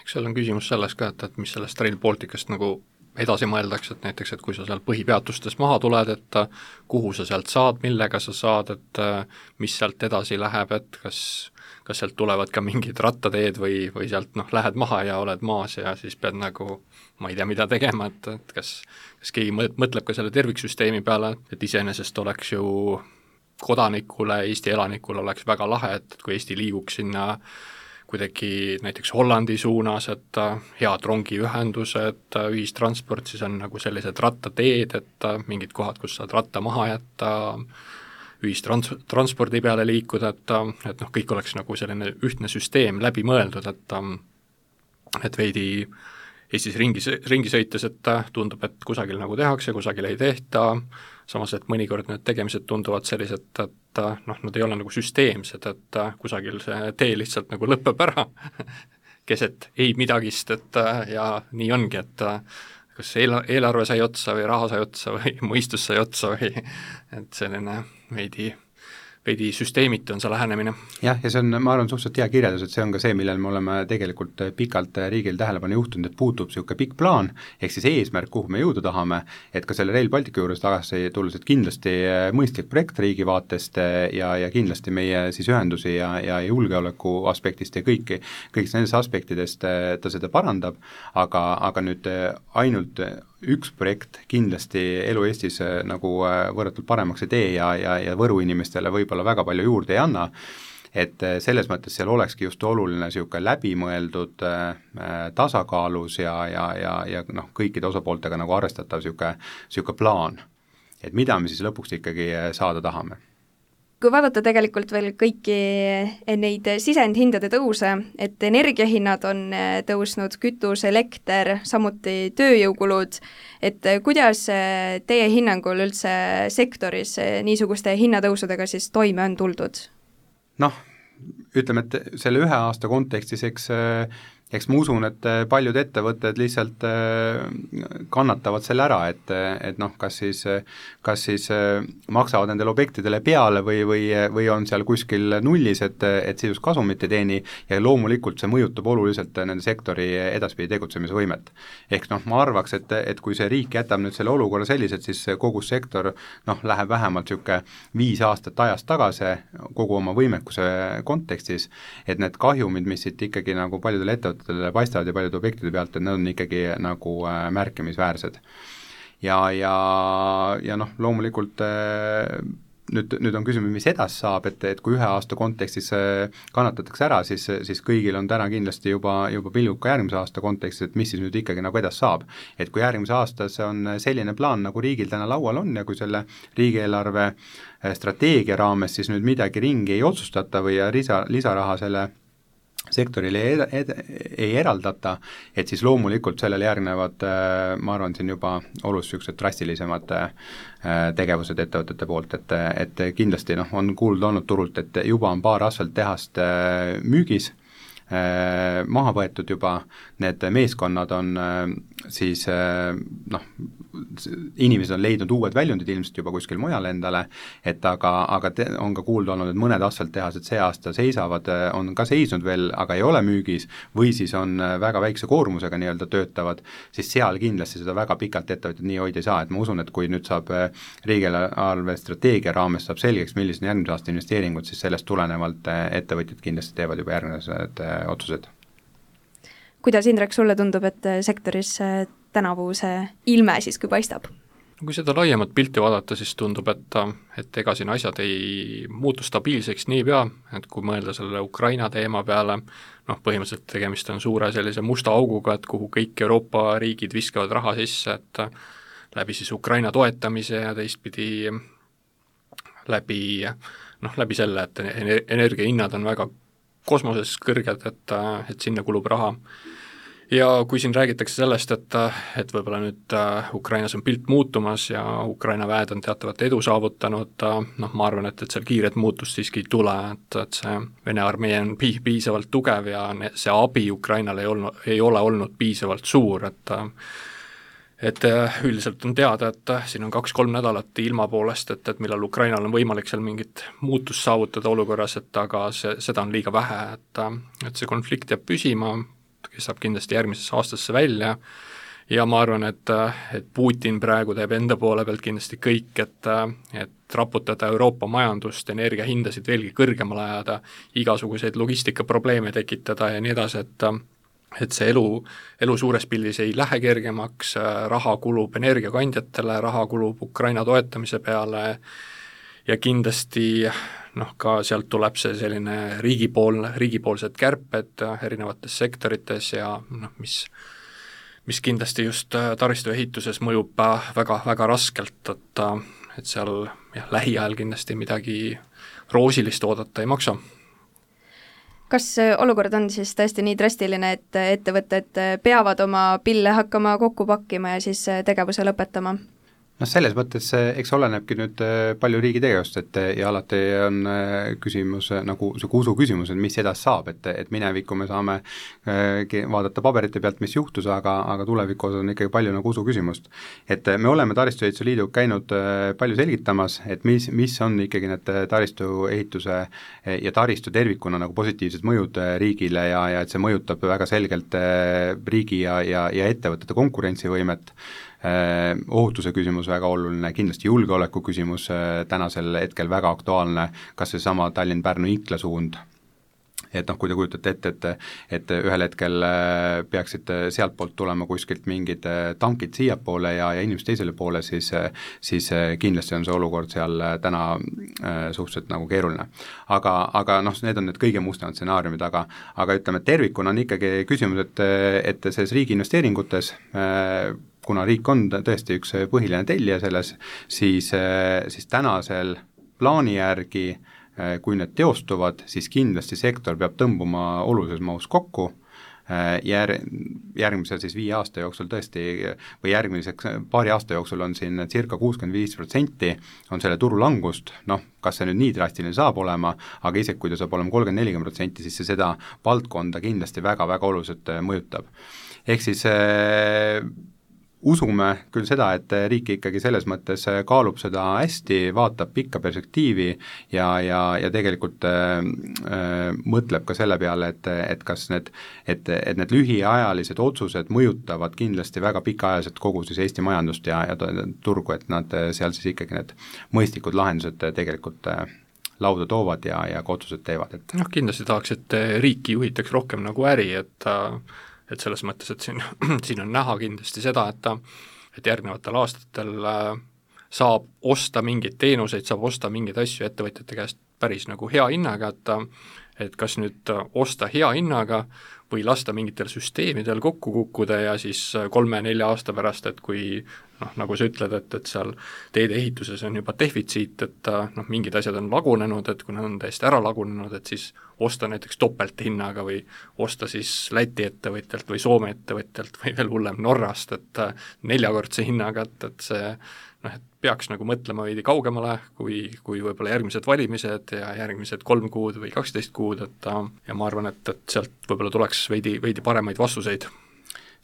Eks seal on küsimus selles ka, et, et mis sellest Rail Balticast nagu edasi mõeldakse, et näiteks, et kui sa seal põhipeatustes maha tuled, et kuhu sa sealt saad, millega sa saad, et mis sealt edasi läheb, et kas, kas sealt tulevad ka mingid rattateed või, või sealt noh, lähed maha ja oled maas ja siis pead nagu, ma ei tea, mida tegema, et, et kas, kas keegi mõtleb ka selle terviksüsteemi peale, et iseenesest oleks ju kodanikule, Eesti elanikule oleks väga lahe, et kui Eesti liiguks sinna kuidagi näiteks Hollandi suunas, et head rongiühendused, ühistransport, siis on nagu sellised rattateed, et mingid kohad, kus saad ratta maha jätta, ühistranspordi peale liikuda, et, et noh, kõik oleks nagu selline ühtne süsteem läbi mõeldud, et et veidi Eestis ringi, ringi sõites, et tundub, et kusagil nagu tehakse, kusagil ei tehta, samas, et mõnikord need tegemised tunduvad sellised, et noh, nad ei ole nagu süsteemsed, et kusagil see tee lihtsalt nagu lõpeb ära keset ei midagist, et ja nii ongi, et kas eel, eelarve sai otsa või raha sai otsa või mõistus sai otsa või et selline veidi veidi süsteemiti on see lähenemine. Jah, ja see on, ma arvan, suhteliselt hea kirjeldus, et see on ka see, millel me oleme tegelikult pikalt riigil tähelepanu juhtunud, et puutub niisugune pikk plaan, ehk siis eesmärk, kuhu me jõuda tahame, et ka selle Rail Baltica juures tagasi tulles, et kindlasti mõistlik projekt riigi vaatest ja, ja kindlasti meie siis ühendusi ja, ja julgeoleku aspektist ja kõiki, kõigist nendest aspektidest ta seda parandab, aga, aga nüüd ainult üks projekt kindlasti elu Eestis nagu võrratult paremaks ei tee ja, ja, ja Võru inimestele võib-olla väga palju juurde ei anna, et selles mõttes seal olekski just oluline niisugune läbimõeldud äh, tasakaalus ja, ja, ja, ja noh, kõikide osapooltega nagu arvestatav niisugune, niisugune plaan, et mida me siis lõpuks ikkagi saada tahame. Kui vaadata tegelikult veel kõiki neid sisendhindade tõuse, et energiahinnad on tõusnud, kütus, elekter, samuti tööjõukulud, et kuidas teie hinnangul üldse sektoris niisuguste hinnatõusudega siis toime on tuldud? Noh, ütleme, et selle ühe aasta kontekstis, eks eks ma usun, et paljud ettevõtted lihtsalt kannatavad selle ära, et, et noh, kas siis, kas siis maksavad nendele objektidele peale või, või, või on seal kuskil nullis, et, et sisust kasumit ei teeni ja loomulikult see mõjutab oluliselt nende sektori edaspidi tegutsemise võimet. Ehk noh, ma arvaks, et, et kui see riik jätab nüüd selle olukorra sellised, siis kogu sektor noh, läheb vähemalt niisugune viis aastat ajast tagasi kogu oma võimekuse kontekstis, et need kahjumid, mis siit ikkagi nagu paljudele ettevõttele paistavad ja paljude objektide pealt, et need on ikkagi nagu äh, märkimisväärsed. Ja, ja, ja noh, loomulikult äh, nüüd, nüüd on küsimus, mis edas saab, et, et kui ühe aasta kontekstis äh, kannatatakse ära, siis, siis kõigil on täna kindlasti juba, juba pilgub ka järgmise aasta kontekstis, et mis siis nüüd ikkagi nagu edas saab. Et kui järgmise aastas on selline plaan, nagu riigil täna laual on ja kui selle riigieelarve strateegia raames siis nüüd midagi ringi ei otsustata või lisa, lisaraha selle sektorile ei, ed, ei eraldata, et siis loomulikult sellele järgnevad, ma arvan, siin juba oluliselt niisugused drastilisemad tegevused ettevõtete poolt, et, et kindlasti noh, on kuulda olnud turult, et juba on paar asfalttehast müügis, maha võetud juba, need meeskonnad on siis noh, inimesed on leidnud uued väljundid ilmselt juba kuskil mujal endale, et aga, aga te, on ka kuulda olnud, et mõned asfalttehased see aasta seisavad, on ka seisnud veel, aga ei ole müügis, või siis on väga väikse koormusega nii-öelda töötavad, siis seal kindlasti seda väga pikalt ettevõtjad nii hoida ei saa, et ma usun, et kui nüüd saab riigieelarve strateegia raames saab selgeks, millised on järgmise aasta investeeringud, siis sellest tulenevalt ettevõtjad kindlasti teevad juba järgmised otsused. Kuidas, Indrek, sulle tundub, et sektoris tänavu see ilme siis kui paistab? Kui seda laiemat pilti vaadata, siis tundub, et, et ega siin asjad ei muutu stabiilseks niipea, et kui mõelda selle Ukraina teema peale, noh, põhimõtteliselt tegemist on suure sellise musta auguga, et kuhu kõik Euroopa riigid viskavad raha sisse, et läbi siis Ukraina toetamise ja teistpidi läbi, noh, läbi selle, et energiahinnad on väga kosmoses kõrged, et, et sinna kulub raha. Ja kui siin räägitakse sellest, et, et võib-olla nüüd Ukrainas on pilt muutumas ja Ukraina väed on teatavat edu saavutanud, noh, ma arvan, et, et seal kiiret muutust siiski ei tule, et, et see Vene armee on pi- piisavalt tugev ja see abi Ukrainale ei, olnud, ei ole olnud piisavalt suur, et et üldiselt on teada, et siin on kaks-kolm nädalat ilma poolest, et, et millal Ukrainal on võimalik seal mingit muutust saavutada olukorras, et aga see, seda on liiga vähe, et, et see konflikt jääb püsima, saab kindlasti järgmisesse aastasse välja ja ma arvan, et, et Putin praegu teeb enda poole pealt kindlasti kõik, et, et raputada Euroopa majandust, energiahindasid veelgi kõrgemale ajada, igasuguseid logistikaprobleeme tekitada ja nii edasi, et et see elu, elu suures pildis ei lähe kergemaks, raha kulub energiakandjatele, raha kulub Ukraina toetamise peale ja kindlasti noh, ka sealt tuleb see selline riigipoolne, riigipoolsed kärped erinevates sektorites ja noh, mis, mis kindlasti just taristu ehituses mõjub väga, väga raskelt, et, et seal jah, lähiajal kindlasti midagi roosilist oodata ei maksa. Kas olukord on siis tõesti nii drastiline, et ettevõtted peavad oma pille hakkama kokku pakkima ja siis tegevuse lõpetama? noh, selles mõttes eks olenebki nüüd palju riigi tegevust, et ja alati on küsimus nagu see usu küsimus, et mis edas saab, et, et minevikku me saame vaadata paberite pealt, mis juhtus, aga, aga tulevikus on ikkagi palju nagu usu küsimust. Et me oleme Taristuehituse Liidu käinud palju selgitamas, et mis, mis on ikkagi need taristuehituse ja taristu tervikuna nagu positiivsed mõjud riigile ja, ja et see mõjutab väga selgelt riigi ja, ja, ja ettevõtete konkurentsivõimet. Ohutuse küsimus väga oluline, kindlasti julgeoleku küsimus tänasel hetkel väga aktuaalne, kas see sama Tallinn-Pärnu Inkla suund, et noh, kui te kujutate ette, et, et ühel hetkel peaksid sealt poolt tulema kuskilt mingid tankid siiapoole ja, ja inimesed teisele poole, siis, siis kindlasti on see olukord seal täna suhteliselt nagu keeruline. Aga, aga noh, need on need kõige mustemad stsenaariumid, aga, aga ütleme, et tervikuna on ikkagi küsimus, et, et selles riigi investeeringutes kuna riik on tõesti üks põhiline tellija selles, siis, siis tänasel plaani järgi, kui need teostuvad, siis kindlasti sektor peab tõmbuma olulises mahus kokku, jär-, järgmisel siis viie aasta jooksul tõesti või järgmiseks paari aasta jooksul on siin circa kuuskümmend viis protsenti on selle turu langust, noh, kas see nüüd nii drastiline saab olema, aga isegi kui ta saab olema kolmkümmend nelikümmend protsenti, siis see seda valdkonda kindlasti väga-väga oluliselt mõjutab. Ehk siis äh, usume küll seda, et riik ikkagi selles mõttes kaalub seda hästi, vaatab pikka perspektiivi ja, ja, ja tegelikult äh, mõtleb ka selle peale, et, et kas need, et, et need lühiajalised otsused mõjutavad kindlasti väga pikaajaliselt kogu siis Eesti majandust ja, ja turgu, et nad seal siis ikkagi need mõistlikud lahendused tegelikult äh, lauda toovad ja, ja ka otsused teevad. Et noh, kindlasti tahaks, et riiki juhitaks rohkem nagu äri, et äh... et selles mõttes, et siin, siin on näha kindlasti seda, et et järgnevatel aastatel saab osta mingeid teenuseid, saab osta mingeid asju ettevõtjate käest päris nagu hea hinnaga, et et kas nüüd osta hea hinnaga või lasta mingitel süsteemidel kokku kukkuda ja siis kolme-nelja aasta pärast, et kui noh, nagu sa ütled, et, et seal teede ehituses on juba defitsiit, et noh, mingid asjad on lagunenud, et kui nad on täiesti ära lagunenud, et siis osta näiteks topelthinnaga või osta siis Läti ettevõtjalt või Soome ettevõtjalt või veel hullem Norrast, et neljakordse hinnaga, et, et see noh, et peaks nagu mõtlema veidi kaugemale, kui, kui võib-olla järgmised valimised ja järgmised kolm kuud või kaksteist kuud, et ja ma arvan, et, et sealt võib-olla tuleks veidi, veidi paremaid vastuseid.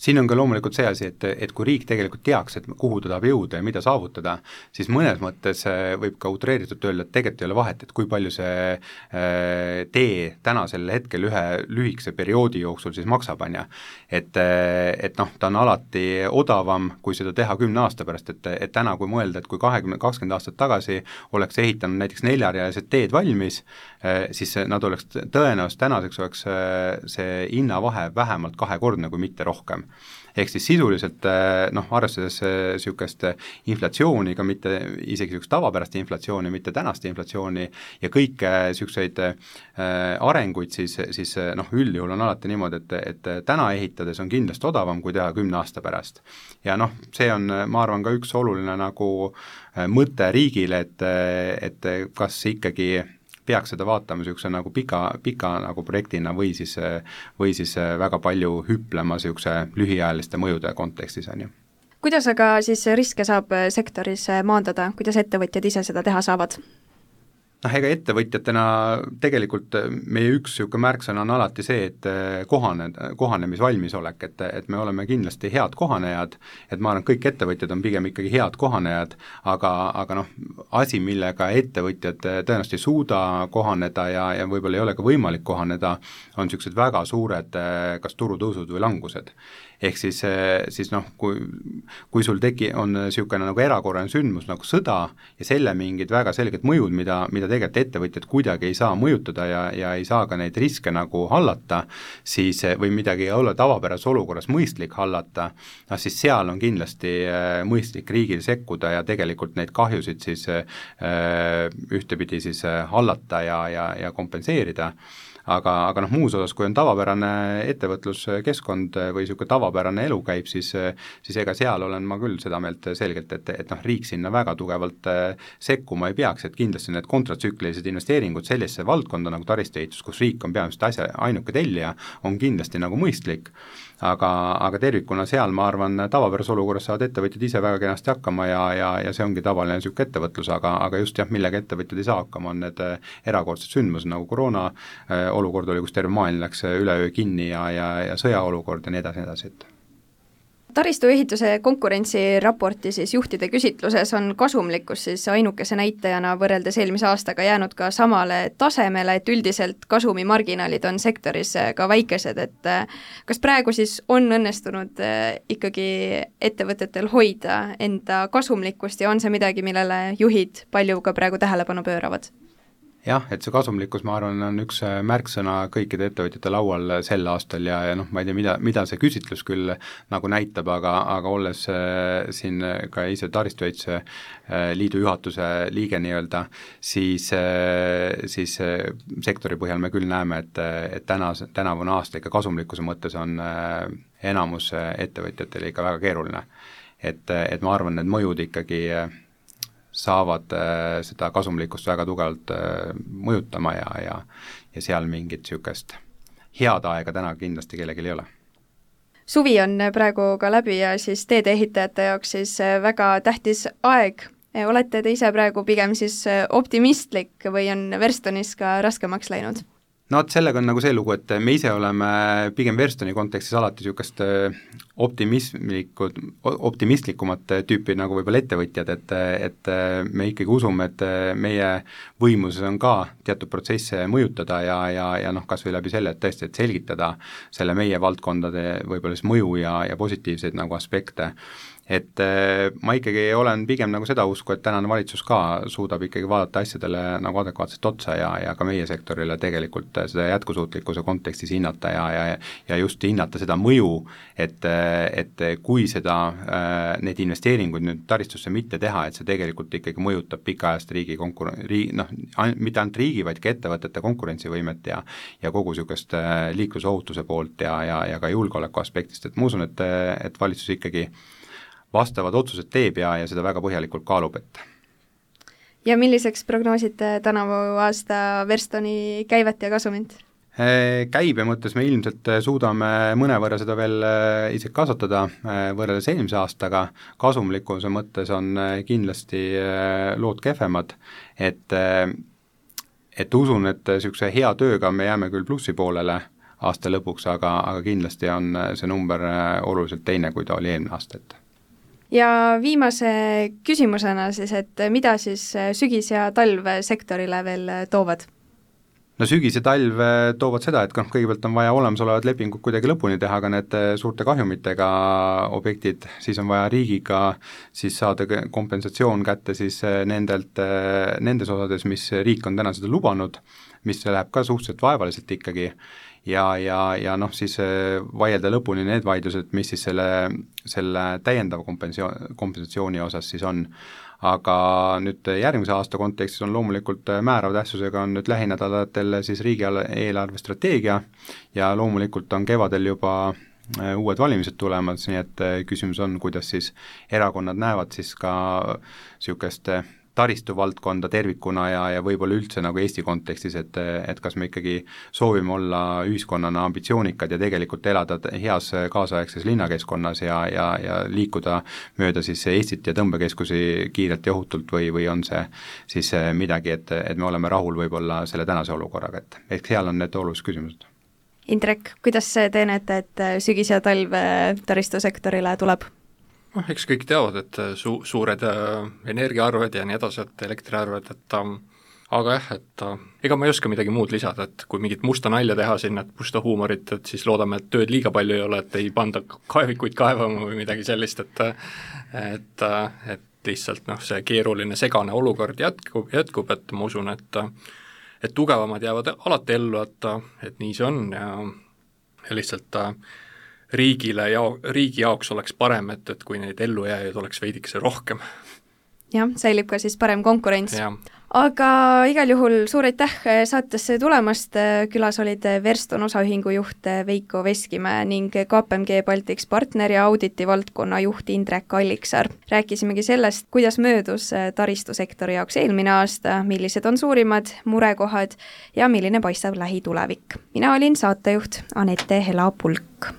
Siin on ka loomulikult see asi, et, et kui riik tegelikult teaks, et kuhu ta tahab jõuda ja mida saavutada, siis mõnes mõttes võib ka utreeritult öelda, et tegelikult ei ole vahet, et kui palju see äh, tee tänasel hetkel ühe lühikese perioodi jooksul siis maksab, on ja. Et, et noh, ta on alati odavam, kui seda teha kümne aasta pärast, et, et täna kui mõelda, et kui kahekümne, kakskümmend aastat tagasi oleks ehitanud näiteks neljarealised teed valmis, äh, siis nad oleks tõenäoliselt tänaseks oleks see hinnavahe vähemalt kahekordne, kui mitte rohkem. Ehk siis sisuliselt noh, arvestades niisugust inflatsiooni, ka mitte isegi niisugust tavapärast inflatsiooni, mitte tänast inflatsiooni ja kõike niisuguseid arenguid, siis, siis noh, üldjuhul on alati niimoodi, et, et täna ehitades on kindlasti odavam, kui teha kümne aasta pärast. Ja noh, see on, ma arvan, ka üks oluline nagu mõte riigile, et, et kas ikkagi peaks seda vaatama niisuguse nagu pika, pika nagu projektina või siis, või siis väga palju hüplema niisuguse lühiajaliste mõjude kontekstis, on ju. Kuidas aga siis riske saab sektoris maandada, kuidas ettevõtjad ise seda teha saavad? noh, ega ettevõtjatena tegelikult meie üks niisugune märksõna on alati see, et kohane, kohanemisvalmisolek, et, et me oleme kindlasti head kohanejad, et ma arvan, kõik ettevõtjad on pigem ikkagi head kohanejad, aga, aga noh, asi, millega ettevõtjad tõenäoliselt ei suuda kohaneda ja, ja võib-olla ei ole ka võimalik kohaneda, on niisugused väga suured kas turutõusud või langused. Ehk siis, siis noh, kui, kui sul teki, on niisugune nagu erakorraline sündmus nagu sõda ja selle mingid väga selged mõjud, mida, mida tegelikult ettevõtjad kuidagi ei saa mõjutada ja, ja ei saa ka neid riske nagu hallata, siis või midagi olla tavapärases olukorras mõistlik hallata, no siis seal on kindlasti mõistlik riigil sekkuda ja tegelikult neid kahjusid siis ühtepidi siis hallata ja, ja, ja kompenseerida. Aga, aga noh, muus osas, kui on tavapärane ettevõtluskeskkond või niisugune tavapärane elu käib, siis, siis ega seal olen ma küll seda meelt selgelt, et, et noh, riik sinna väga tugevalt sekkuma ei peaks, et kindlasti need kontratsüklilised investeeringud sellisesse valdkonda nagu taristuehitus, kus riik on peamiselt asja ainuke tellija, on kindlasti nagu mõistlik, aga, aga tervikuna seal ma arvan, tavapärases olukorras saavad ettevõtjad ise väga kenasti hakkama ja, ja, ja see ongi tavaline niisugune ettevõtlus, aga, aga just jah, millega ettevõtjad ei saa hakkama, on need erakordsed sündmused nagu koroona olukord oli, kus terve maailm läks üleöö kinni ja, ja, ja sõjaolukord ja nii edasi, nii edasi, et taristuehituse konkurentsiraporti siis juhtide küsitluses on kasumlikkus siis ainukese näitajana võrreldes eelmise aastaga jäänud ka samale tasemele, et üldiselt kasumimarginaalid on sektoris ka väikesed, et kas praegu siis on õnnestunud ikkagi ettevõtetel hoida enda kasumlikkust ja on see midagi, millele juhid palju ka praegu tähelepanu pööravad? Jah, et see kasumlikkus, ma arvan, on üks märksõna kõikide ettevõtjate laual sel aastal ja, ja noh, ma ei tea, mida, mida see küsitlus küll nagu näitab, aga, aga olles äh, siin ka ise taristuehituse äh, liidu juhatuse liige nii-öelda, siis, äh, siis äh, sektori põhjal me küll näeme, et, et täna, tänavune aasta ikka kasumlikkuse mõttes on äh, enamus ettevõtjatel ikka väga keeruline. Et, et ma arvan, need mõjud ikkagi äh, saavad äh, seda kasumlikkust väga tugevalt äh, mõjutama ja, ja, ja seal mingit niisugust head aega täna kindlasti kellelgi ei ole. Suvi on praegu ka läbi ja siis teedeehitajate jaoks siis väga tähtis aeg. Olete te ise praegu pigem siis optimistlik või on Verstonis ka raskemaks läinud? No et sellega on nagu see lugu, et me ise oleme pigem Verstoni kontekstis alati niisugust optimismlikud, optimistlikumat tüüpi nagu võib-olla ettevõtjad, et, et me ikkagi usume, et meie võimuses on ka teatud protsesse mõjutada ja, ja, ja noh, kas või läbi selle, et tõesti, et selgitada selle meie valdkondade võib-olla siis mõju ja, ja positiivseid nagu aspekte. Et ma ikkagi olen pigem nagu seda usku, et tänane valitsus ka suudab ikkagi vaadata asjadele nagu adekvaatselt otsa ja, ja ka meie sektorile tegelikult seda jätkusuutlikkuse kontekstis hinnata ja, ja, ja just hinnata seda mõju, et, et kui seda, need investeeringuid nüüd taristusse mitte teha, et see tegelikult ikkagi mõjutab pikaajast riigi konkuren-, riigi, noh, mitte ainult riigi, vaid ka ettevõtete konkurentsivõimet ja, ja kogu niisugust liiklusohutuse poolt ja, ja, ja ka julgeoleku aspektist, et ma usun, et, et valitsus ikkagi vastavad otsused teeb ja, ja seda väga põhjalikult kaalub, et. Ja milliseks prognoosite tänavu aasta Verstoni käivet ja kasumit? Käibe mõttes me ilmselt suudame mõnevõrra seda veel isegi kasvatada võrreldes eelmise aastaga, kasumlikkuse mõttes on kindlasti lood kehvemad, et, et usun, et niisuguse hea tööga me jääme küll plussi poolele aasta lõpuks, aga, aga kindlasti on see number oluliselt teine, kui ta oli eelmine aasta, et. Ja viimase küsimusena siis, et mida siis sügis ja talv sektorile veel toovad? No sügis ja talv toovad seda, et kõigepealt on vaja olemasolevad lepingud kuidagi lõpuni teha, aga need suurte kahjumitega objektid, siis on vaja riigiga siis saada kompensatsioon kätte siis nendelt, nendes osades, mis riik on täna seda lubanud, mis läheb ka suhteliselt vaevaliselt ikkagi, ja, ja, ja noh, siis vaielda lõpuni need vaidlused, mis siis selle, selle täiendava kompensatsiooni, kompensatsiooni osas siis on. Aga nüüd järgmise aasta kontekstis on loomulikult määrava tähtsusega on nüüd lähinädalatel siis riigieelarve strateegia ja loomulikult on kevadel juba uued valimised tulemas, nii et küsimus on, kuidas siis erakonnad näevad siis ka niisugust taristu valdkonda tervikuna ja, ja võib-olla üldse nagu Eesti kontekstis, et, et kas me ikkagi soovime olla ühiskonnana ambitsioonikad ja tegelikult elada heas kaasaegses linnakeskkonnas ja, ja, ja liikuda mööda siis Eestit ja tõmbekeskusi kiirelt ja ohutult või, või on see siis midagi, et, et me oleme rahul võib-olla selle tänase olukorraga, et ehk seal on need olulised küsimused. Indrek, kuidas te näete, et sügis ja talv taristusektorile tuleb? noh, eks kõik teavad, et su-, suured energiaarved ja nii edasi, et elektriarved, et aga jah, et ega ma ei oska midagi muud lisada, et kui mingit musta nalja teha sinna, et musta huumorit, et siis loodame, et tööd liiga palju ei ole, et ei panda kaevikuid kaevama või midagi sellist, et et, et lihtsalt noh, see keeruline segane olukord jätkub, jätkub, et ma usun, et et tugevamad jäävad alati ellu, et, et nii see on ja, ja lihtsalt riigile ja riigi jaoks oleks parem, et, et kui neid ellujääjaid oleks veidikese rohkem. Jah, säilib ka siis parem konkurents. Ja. Aga igal juhul suur aitäh saatesse tulemast, külas olid Verston osaühingu juht Veiko Veskimäe ning K P M G Baltics partner ja auditi valdkonna juht Indrek Alliksaar. Rääkisimegi sellest, kuidas möödus taristusektori jaoks eelmine aasta, millised on suurimad murekohad ja milline paistab lähitulevik. Mina olin saatejuht Anette Hela-Pulk.